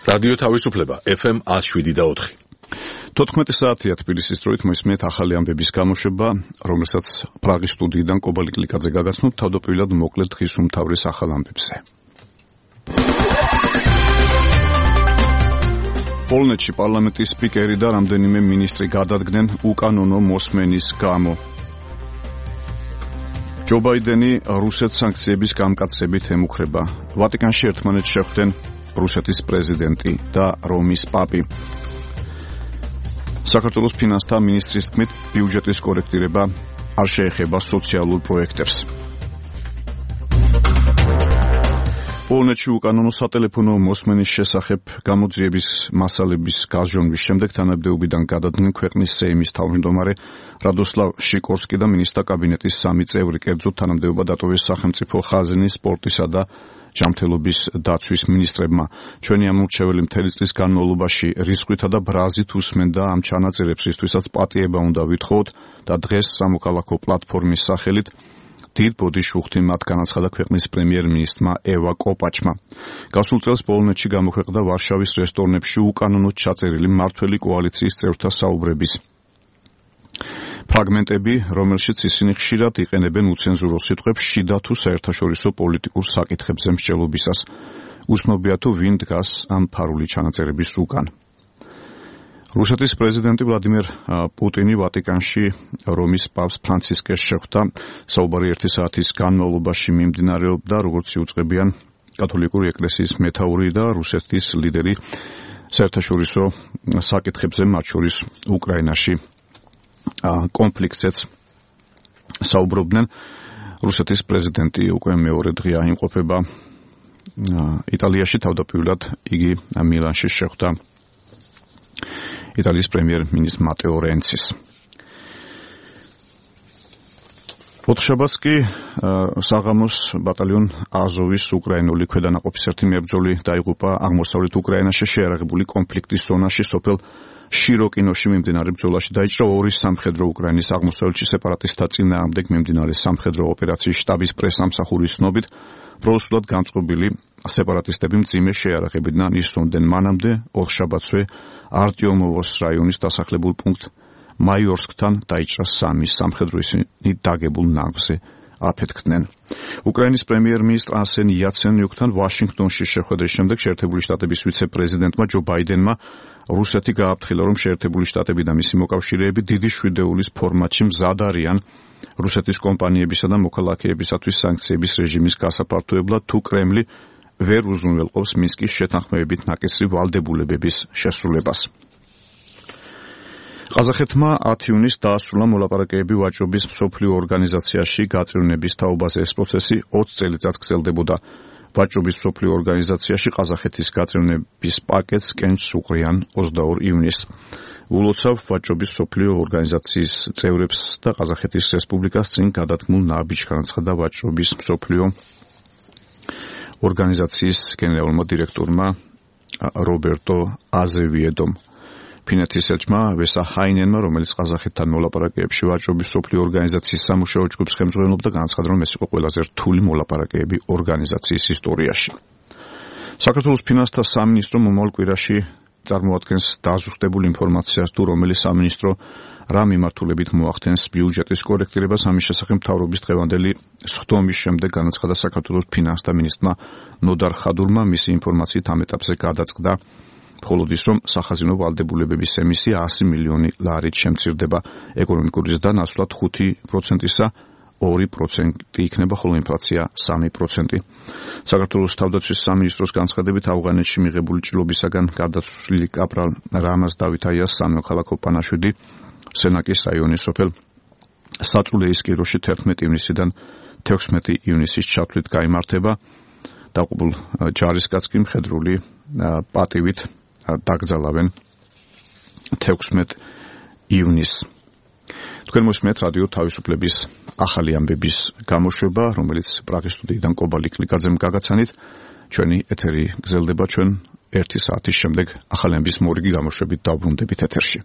რადიო თავისუფლება FM 107.4. 14 საათია თბილისის დროით მოისმენთ ახალი ამბების გამოშვება, რომელსაც პრაღის სტუდიიდან კობა ლიკლიკაძე გაგაცნობთ თავდაპირველად მოკლედ დღის უმთავრეს ახალ ამბებზე. პოლონეთში პარლამენტის სპიკერი და რამდენიმე მინისტრი გადადგნენ უკანონო მოსმენის გამო. ჯო ბაიდენი რუსეთს სანქციების გამკაცებით ემუქრება. ვატიკანში ერთმანეთს შეხვდნენ რუსეთის პრეზიდენტი და რომის პაპი. საქართველოს ფინანსთა მინისტრის თქმით, ბიუჯეტის კორექტირება არ შეეხება სოციალურ პროექტებს. პოლონეთში უკანონო სატელეფონო მოსმენის შესახებ გამოძიების მასალების გაზრდომის შემდეგ თანამდებობიდან გადადგნენ ქვეყნის სეიმის თავმჯდომარე რადოსლავ შიკორსკი და მინისტრთა კაბინეტის 3 წევრი, კერძოდ თანამდებობა დატოვეს სახელმწიფო ხაზინის, სპორტისა და ჯანმრთელობის დაცვის მინისტრებმა. ჩვენი ამორჩეველი მთელი წლის განმავლობაში რისხვითა და ბრაზით უსმენდა ამ ჩანაწერებს, რისთვისაც პატიება უნდა ვითხოვოთ და დღეს სამოქალაქო პლატფორმის სახელით დიდ ბოდიშუხთი მათ განაცხადა ქვეყნის პრემიერ-მინისტრმა ევა კოპაჩმა. გასულ წელს პოლონეთში გამოქვეყნდა ვარშავის რესტორნებში უკანონოდ ჩაწერილი მმართველი კოალიციის წევრთა საუბრების ფრაგმენტები, რომელშიც ისინი ხშირად იყენებენ უცენზურო სიტყვებს შიდა თუ საერთაშორისო პოლიტიკურ საკითხებზე მსჯელობისას. უცნობია თუ ვინ დგას ამ ფარული ჩანაწერების უკან. რუსეთის პრეზიდენტი ვლადიმერ პუტინი ვატიკანში რომის პაპს ფრანცისკეს შეხვდა. საუბარი 1 საათის განმავლობაში მიმდინარეობდა, როგორც იუწყებიან კათოლიკური ეკლესიის მეთაური და რუსეთის ლიდერი საერთაშორისო საკითხებზე, მათ შორის უკრაინაში კონფლიქტზეც საუბრობდნენ. რუსეთის პრეზიდენტი უკვე მეორე დღეა იმყოფება იტალიაში, თავდაპირველად იგი მილანში შეხვდა იტალიის პრემიერ-მინისტრ მატეო რენცის. ოთხშაბათს კი საღამოს ბატალიონ აზოვის უკრაინული ქვედანაყოფის ერთი მებრძოლი დაიღუპა აღმოსავლეთ უკრაინაში შეიარაღებული კონფლიქტის ზონაში სოფელ შიროკინოში მიმდინარე ბრძოლაში. დაიჭრა 2 სამხედრო უკრაინის აღმოსავლეთში სეპარატისტთა წინააღმდეგ მიმდინარე სამხედრო ოპერაციის შტაბის პრესამსახურის ცნობით, პროუსულად განწყობილი სეპარატისტები მძიმე შეიარაღებიდან ისრომდნენ. მანამდე ოთხშაბათსვე არტიომოვოს რაიონის დასახლებულ პუნქტ მაიორსკთან დაიჭრა 3 სამხედრო, ისინი დაგებულ ნავზე აფეთქდნენ. უკრაინის პრემიერ-მინისტრ არსენ იაცენიუკთან ვაშინგტონში შეხვედრის შემდეგ შეერთებული შტატების ვიცე-პრეზიდენტმა ჯო ბაიდენმა რუსეთი გააფრთხილა, რომ შეერთებული შტატები და მისი მოკავშირეები დიდი შვიდეულის ფორმატში მზად არიან რუსეთის კომპანიებისა და მოქალაქეებისათვის სანქციების რეჟიმის გასაფართოებლად, თუ კრემლი ვერ უზრუნველყოფს მინსკის შეთანხმებებით ნაკისრი ვალდებულებების შესრულებას. ყაზახეთმა 10 ივნისს დაასრულა მოლაპარაკებები ვაჭრობის მსოფლიო ორგანიზაციაში გაწევრიანების თაობაზე. ეს პროცესი 20 წელიწადს გრძელდებოდა. ვაჭრობის მსოფლიო ორგანიზაციაში ყაზახეთის გაწევრიანების პაკეტს კენჭს უყრიან 22 ივნისს. ულოცავ ვაჭრობის მსოფლიო ორგანიზაციის წევრებს და ყაზახეთის რესპუბლიკას წინ გადადგმულ ნაბიჯს განაცხადა ვაჭრობის მსოფლიო ორგანიზაციის გენერალურმა დირექტორმა რობერტო აზევიედომ. ფინეთის ელჩმა ვესა ჰაინენმა, რომელიც ყაზახეთთან მოლაპარაკებებში ვაჭრობის მსოფლიო ორგანიზაციის სამუშაო ჯგუფს ხელმძღვანელობდა, განაცხადა, რომ ეს იყო ყველაზე რთული მოლაპარაკებები ორგანიზაციის ისტორიაში. საქართველოს ფინანსთა სამინისტრო მომავალ კვირაში წარმოადგენს დაზუსტებულ ინფორმაციას, თუ რომელი სამინისტრო რა მიმართულებით მოახდენს ბიუჯეტის კორექტირებას. ამის შესახებ მთავრობის დღევანდელი სხდომის შემდეგ განაცხადა საქართველოს ფინანსთა მინისტრმა ნოდარ ხადურმა. მისი ინფორმაციით ამ ეტაპზე გადაწყდა მხოლოდ ის, რომ სახაზინო ვალდებულებების ემისია 100 მილიონი ლარით შემცირდება. ეკონომიკური ზრდა ნაცვლად 5%-ისა 2% იქნება, ხოლო ინფლაცია 3%. საქართველოს თავდაცვის სამინისტროს განცხადებით, ავღანეთში მიღებული ჭრილობისაგან გარდაცვლილი კაპრალ რამაზ დავითაიას სამოქალაქო პანაშვიდი სენაკის რაიონის სოფელ საწულეის კიროში 11 ივნისიდან 16 ივნისის ჩათვლით გაიმართება. დაყუპულ ჯარისკაცს კი მხედრული პატივით დაკრძალავენ 16 ივნისს. თქვენ მოსმენთ რადიო თავისუფლების ახალი ამბების გამოშვება, რომელიც პრაღის სტუდიიდან კობა ლიკლიკაძემ გაგაცანით. ჩვენი ეთერი გრძელდება, ჩვენ 1 საათის შემდეგ ახალი ამბის მორიგი გამოშვებით დავბრუნდებით ეთერში.